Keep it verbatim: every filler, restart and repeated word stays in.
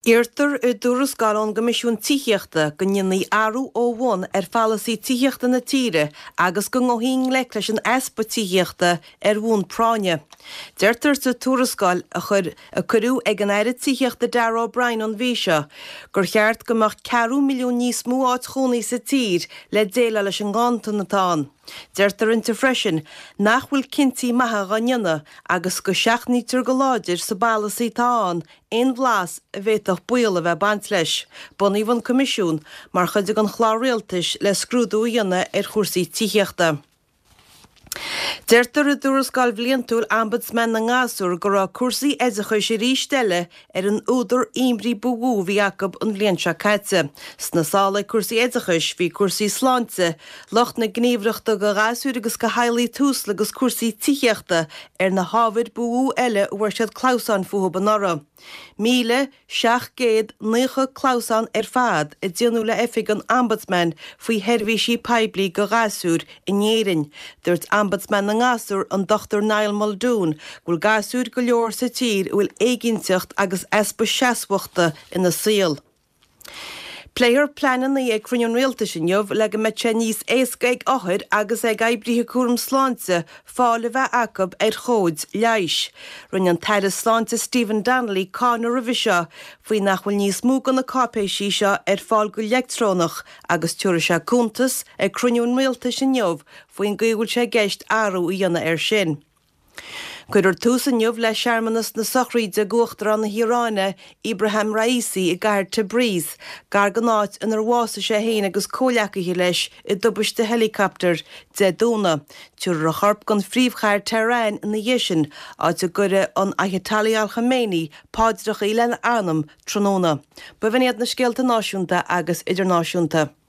Iarrtar i dtuarascáil ón gCoimisiún Tithíochta go ndéanfaí athrú ó bhun ar pholasaí tithíochta na tíre agus go ngabhfaí i ngleic leis an easpa tithíochta ar bhonn práinne. Deirtear sa tuarascáil a chuir a cuireadh ag an Aire Tithíochta Darragh O'Brien an mhí seo gur cheart go mbeadh ceathrú milliún níos mó áit chónaí sa tír le déileáil leis an nganntan atá ann. Deirtear inti freisin nach bhfuil cinntí maithe á ndéanamh agus go seachnaítear go láidir sa bpolasaí atá ann aon bhlas a bhféadfadh baol a bheith ag baint leis. Bunaíodh an Coimisiún mar chuid den chlár rialtais le scrúdú a dhéanamh ar chúrsaí tithíochta. Deirtear i dtuarascáil bhliantúil Ombudsman na nGasúr go raibh cúrsaí oideachais arís eile ar an údar imní ba mhó a bhí acu an bhliain seo caite. Sna sála ag cúrsaí oideachais bhí cúrsaí sláinte, lucht na gníomhaireachta do ghasúir agus do theaghlaigh Tusla agus cúrsaí tithíochta ar na hábhair ba mhó eile a bhfuair siad clamhsáin fúthu anuraidh. Míle seacht gcéad naocha clamhsán ar fad a déanadh le oifig an Ombudsman faoi sheirbhísí poiblí do ghasúir in Éirinn. Dúirt Ombudsman na nGasúr an Dr Niall Muldoon go bhfuil gasúir go leor sa tír a bhfuil éiginnteacht agus easpa seasmhachta ina saol. Pléifear pleananna ag cruinniú an rialtais inniu le go mbeidh sé níos éasca ag othair agus ag oibrithe cúram sláinte fáil a bheith acu ar chomhaid leighis. Rinne an tAire Sláinte Stephen Donnelly cáineadh roimhe seo faoi nach bhfuil níos mó de na cáipéisí seo ar fáil go leictreonach agus tabharfaidh sé cuntas ag cruinniú an rialtais inniu faoin gcaoi a bhfuil sé i gceist athrú a dhéanamh air sin. Cuirfear tús inniu le searmanas na sochraide d'Uachtarán na hIaráine Ebrahim Raisi i gcathair Tabriz, gar don áit inar bhásaigh sé féin agus comhghleacaithe leis i dtubaiste helicopter Dé Domhnaigh. Tabharfar a chorp don phríomhchathair Tehran ina dhiaidh sin, áit a gcuirfidh an Ayatollah Al Khamenei paidreacha lena anam tráthnóna. B'in iad na scéalta náisiúnta agus idirnáisiúnta.